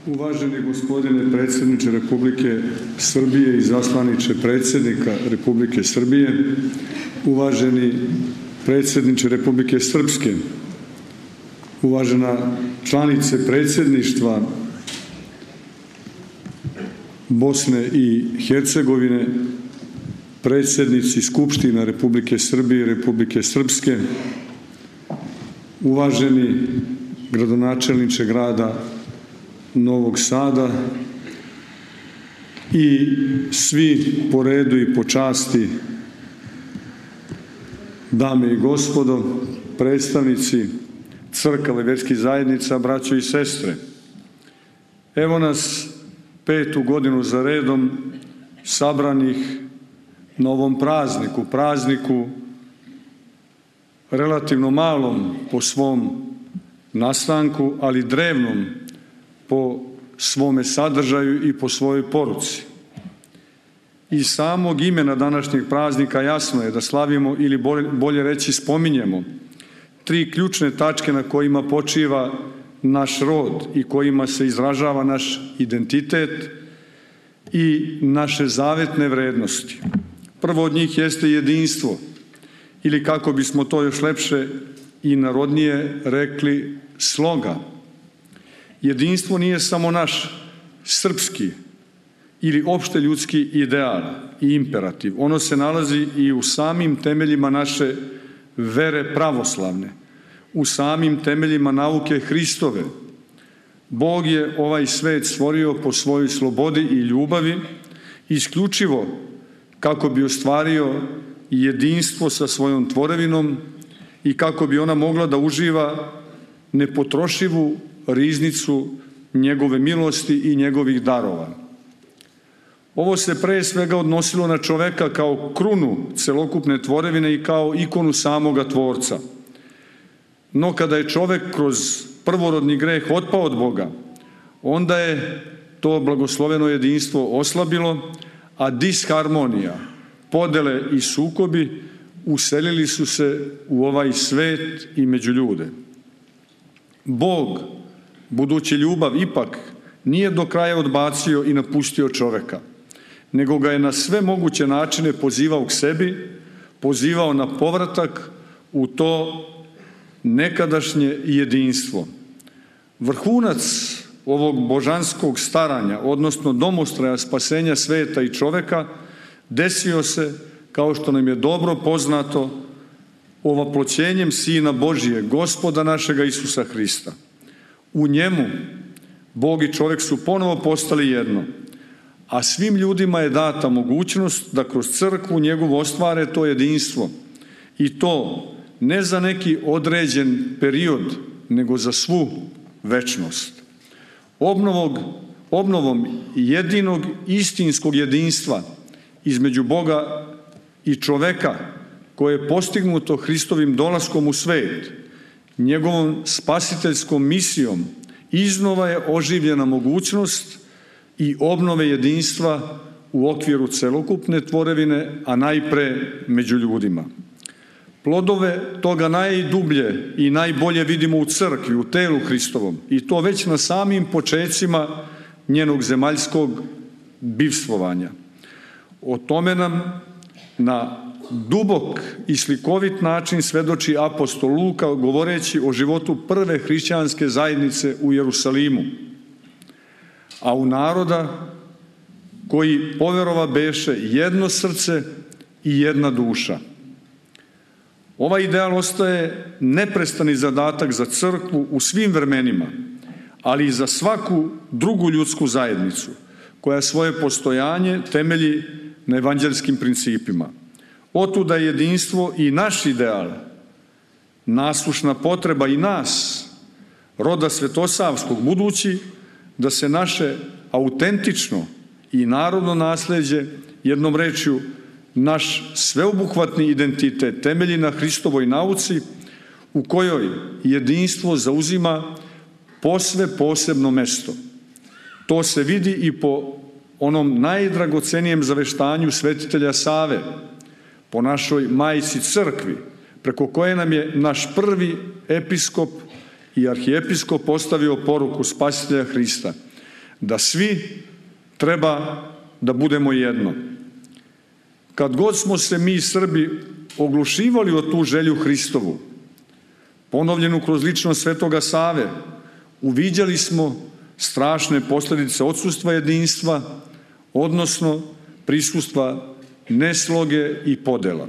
Uvaženi gospodine predsjedniče Republike Srbije i zaslaniče predsjednika Republike Srbije, uvaženi predsjedniče Republike Srpske, uvažena članice predsjedništva Bosne i Hercegovine, predsjednici Skupština Republike Srbije i Republike Srpske, uvaženi gradonačelniče grada Novog Sada i svi po redu i po časti, dame i gospodo, predstavnici crkava i vjerskih zajednica, braćo i sestre. Evo nas 5. godinu za redom sabranih na ovom prazniku relativno malom po svom nastanku, ali drevnom po svome sadržaju i po svojoj poruci. Iz samog imena današnjeg praznika jasno je da slavimo ili bolje reći spominjemo 3 ključne tačke na kojima počiva naš rod i kojima se izražava naš identitet i naše zavetne vrednosti. Prvo od njih jeste jedinstvo, ili kako bismo to još lepše i narodnije rekli, sloga. Jedinstvo nije samo naš srpski ili opšte ljudski ideal i imperativ. Ono se nalazi i u samim temeljima naše vere pravoslavne, u samim temeljima nauke Hristove. Bog je ovaj svet stvorio po svojoj slobodi i ljubavi, isključivo kako bi ostvario jedinstvo sa svojom tvorevinom i kako bi ona mogla da uživa nepotrošivu riznicu njegove milosti i njegovih darova. Ovo se pre svega odnosilo na čoveka kao krunu celokupne tvorevine i kao ikonu samoga Tvorca. No kada je čovek kroz prvorodni greh otpao od Boga, onda je to blagosloveno jedinstvo oslabilo, a disharmonija, podele i sukobi uselili su se u ovaj svet i među ljude. Bog, budući ljubav, ipak nije do kraja odbacio i napustio čoveka, nego ga je na sve moguće načine pozivao k sebi, pozivao na povratak u to nekadašnje jedinstvo. Vrhunac ovog božanskog staranja, odnosno domostraja spasenja sveta i čoveka, desio se, kao što nam je dobro poznato, ovaploćenjem Sina Božije, Gospoda našega Isusa Hrista. U njemu Bog i čovjek su ponovo postali jedno, a svim ljudima je data mogućnost da kroz crkvu njegovu ostvare to jedinstvo, i to ne za neki određen period, nego za svu večnost. Obnovom jedinog istinskog jedinstva između Boga i čoveka, koje je postignuto Hristovim dolaskom u svet, njegovom spasiteljskom misijom, iznova je oživljena mogućnost i obnove jedinstva u okviru celokupne tvorevine, a najpre među ljudima. Plodove toga najdublje i najbolje vidimo u crkvi, u telu Hristovom, i to već na samim počecima njenog zemaljskog bivstvovanja. O tome nam na dubok i slikovit način svedoči apostol Luka, govoreći o životu prve hrišćanske zajednice u Jerusalimu, a u naroda koji poverova beše jedno srce i jedna duša. Ovaj ideal ostaje neprestani zadatak za crkvu u svim vremenima, ali i za svaku drugu ljudsku zajednicu, koja svoje postojanje temelji na evanđelskim principima. Otuda je jedinstvo i naš ideal, naslušna potreba i nas, roda svetosavskog, budući da se naše autentično i narodno nasleđe, jednom rečju, naš sveobuhvatni identitet temelji na Hristovoj nauci, u kojoj jedinstvo zauzima posve posebno mesto. To se vidi i po onom najdragocenijem zaveštanju svetitelja Save, po našoj majci crkvi, preko koje nam je naš prvi episkop i arhijepiskop postavio poruku Spasitelja Hrista. da svi treba da budemo jedno. Kad god smo se mi Srbi oglušivali o tu želju Hristovu, ponovljenu kroz ličnost Svetoga Save, uviđali smo strašne posljedice odsustva jedinstva, odnosno prisustva nesloge i podela.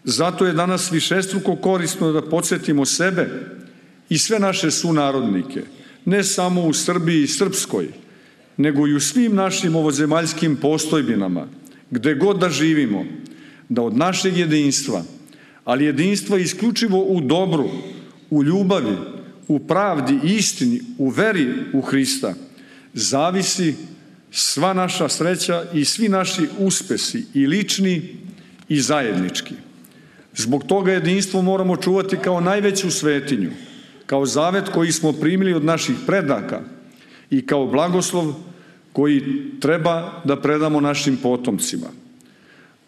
Zato je danas višestruko korisno da podsjetimo sebe i sve naše sunarodnike, ne samo u Srbiji i Srpskoj, nego i u svim našim ovozemaljskim postojbinama, gde god da živimo, da od našeg jedinstva, ali jedinstva isključivo u dobru, u ljubavi, u pravdi i istini, u veri u Hrista, zavisi sva naša sreća i svi naši uspesi, i lični i zajednički. Zbog toga jedinstvo moramo čuvati kao najveću svetinju, kao zavet koji smo primili od naših predaka i kao blagoslov koji treba da predamo našim potomcima.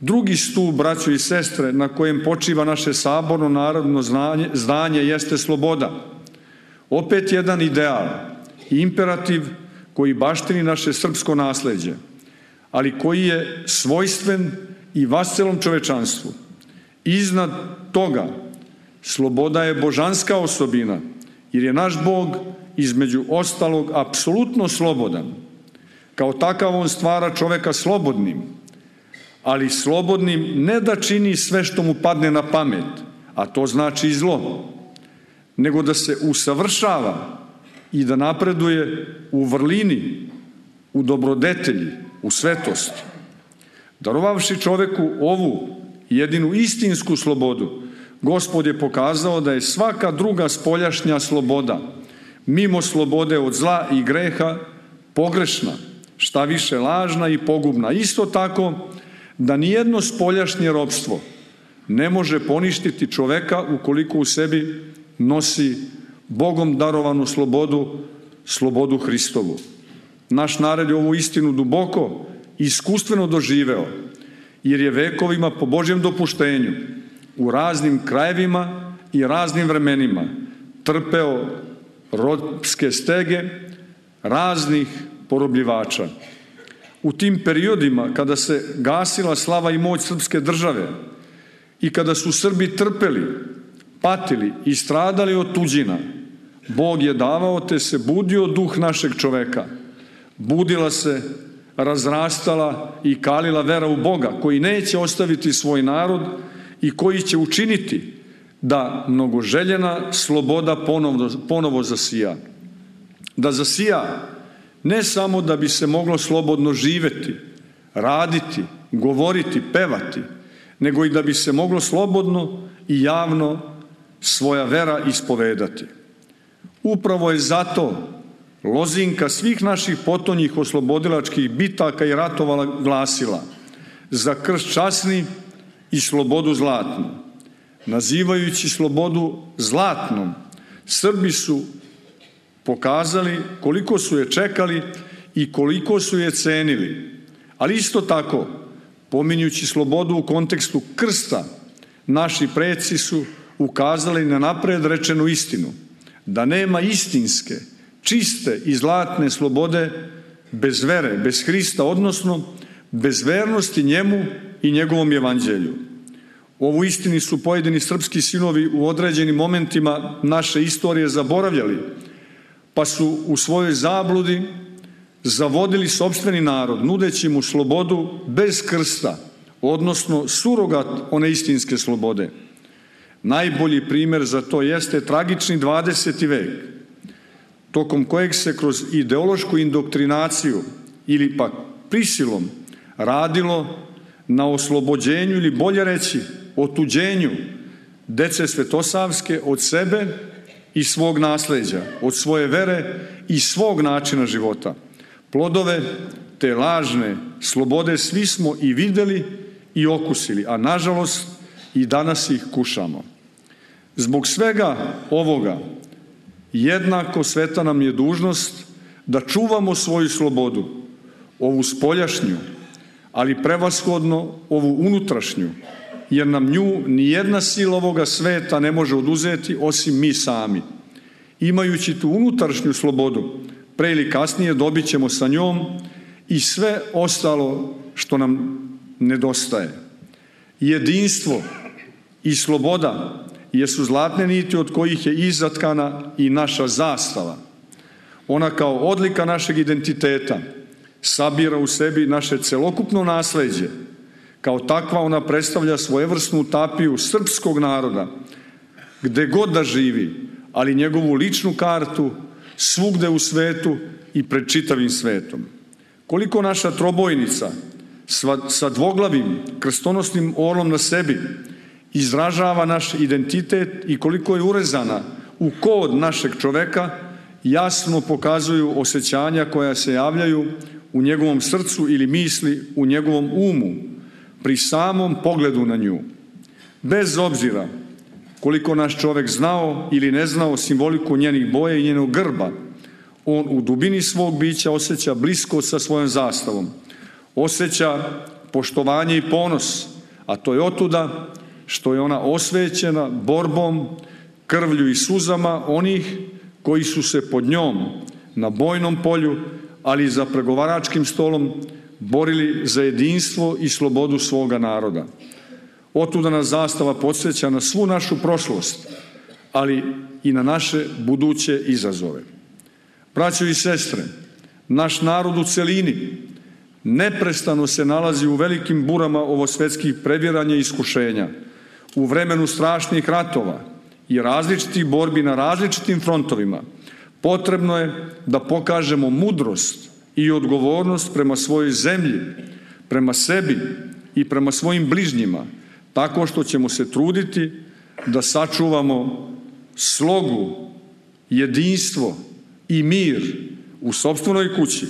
Drugi stup, braćo i sestre, na kojem počiva naše saborno narodno zdanje jeste sloboda. Opet jedan ideal i imperativ koji baštini naše srpsko nasleđe, ali koji je svojstven i vascelom čovečanstvu. Iznad toga, sloboda je božanska osobina, jer je naš Bog između ostalog apsolutno slobodan. Kao takav on stvara čoveka slobodnim, ali slobodnim ne da čini sve što mu padne na pamet, a to znači i zlo, nego da se usavršava i da napreduje u vrlini, u dobrodetelji, u svetosti. Darovavši čoveku ovu jedinu istinsku slobodu, Gospod je pokazao da je svaka druga spoljašnja sloboda, mimo slobode od zla i greha, pogrešna, šta više lažna i pogubna. Isto tako da nijedno spoljašnje ropstvo ne može poništiti čoveka ukoliko u sebi nosi Bogom darovanu slobodu, slobodu Hristovu. Naš narod je ovu istinu duboko i iskustveno doživeo, jer je vekovima po Božjem dopuštenju u raznim krajevima i raznim vremenima trpeo ropske stege raznih porobljivača. U tim periodima kada se gasila slava i moć srpske države i kada su Srbi trpeli, patili i stradali od tuđina, Bog je davao te se budio duh našeg čoveka. Budila se, razrastala i kalila vera u Boga, koji neće ostaviti svoj narod i koji će učiniti da mnogoželjena sloboda ponovo zasija. Da zasija ne samo da bi se moglo slobodno živeti, raditi, govoriti, pevati, nego i da bi se moglo slobodno i javno svoja vera ispovedati. Upravo je zato lozinka svih naših potonjih oslobodilačkih bitaka i ratova glasila: za krst časni i slobodu zlatnu. Nazivajući slobodu zlatnom, Srbi su pokazali koliko su je čekali i koliko su je cenili. Ali isto tako, pominjući slobodu u kontekstu krsta, naši preci su ukazali na napred rečenu istinu, da nema istinske, čiste i zlatne slobode bez vere, bez Hrista, odnosno bez vernosti njemu i njegovom evanđelju. Ovu istini su pojedini srpski sinovi u određenim momentima naše istorije zaboravljali, pa su u svojoj zabludi zavodili sopstveni narod, nudeći mu slobodu bez krsta, odnosno surogat one istinske slobode. Najbolji primjer za to jeste tragični 20. vek, tokom kojeg se kroz ideološku indoktrinaciju ili pak prisilom radilo na oslobođenju ili bolje reći otuđenju dece svetosavske od sebe i svog nasleđa, od svoje vere i svog načina života. Plodove te lažne slobode svi smo i videli i okusili, a nažalost i danas ih kušamo. Zbog svega ovoga jednako sveta nam je dužnost da čuvamo svoju slobodu, ovu spoljašnju, ali prevashodno ovu unutrašnju, jer nam nju nijedna sila ovoga sveta ne može oduzeti osim mi sami. Imajući tu unutrašnju slobodu, pre ili kasnije dobit ćemo sa njom i sve ostalo što nam nedostaje. Jedinstvo i sloboda jesu zlatne niti od kojih je izatkana i naša zastava. Ona kao odlika našeg identiteta sabira u sebi naše celokupno nasleđe. Kao takva ona predstavlja svojevrsnu tapiju srpskog naroda, gde god da živi, ali njegovu ličnu kartu svugde u svetu i pred čitavim svetom. Koliko naša trobojnica sa dvoglavim krstonosnim orlom na sebi izražava naš identitet i koliko je urezana u kod našeg čoveka, jasno pokazuju osjećanja koja se javljaju u njegovom srcu ili misli u njegovom umu pri samom pogledu na nju. Bez obzira koliko naš čovek znao ili ne znao simboliku njenih boja i njenog grba, on u dubini svog bića osjeća bliskost sa svojom zastavom, osjeća poštovanje i ponos, a to je otuda što je ona osvećena borbom, krvlju i suzama onih koji su se pod njom na bojnom polju, ali i za pregovaračkim stolom borili za jedinstvo i slobodu svoga naroda. Otuda nas zastava podsjeća na svu našu prošlost, ali i na naše buduće izazove. Braćo i sestre, naš narod u celini neprestano se nalazi u velikim burama ovosvetskih previranja i iskušenja, u vremenu strašnih ratova i različitih borbi na različitim frontovima. Potrebno je da pokažemo mudrost i odgovornost prema svojoj zemlji, prema sebi i prema svojim bližnjima, tako što ćemo se truditi da sačuvamo slogu, jedinstvo i mir u sopstvenoj kući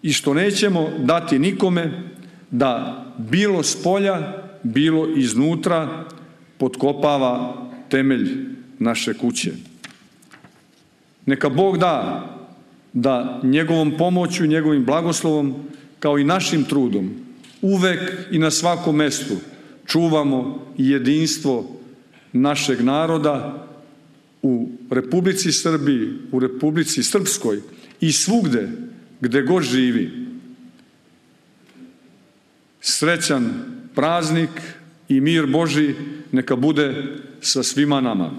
i što nećemo dati nikome da bilo spolja, bilo iznutra potkopava temelj naše kuće. Neka Bog da njegovom pomoću, njegovim blagoslovom, kao i našim trudom, uvek i na svakom mestu čuvamo jedinstvo našeg naroda u Republici Srbiji, u Republici Srpskoj i svugde gde god živi. Srećan praznik i mir Božji neka bude sa svima nama.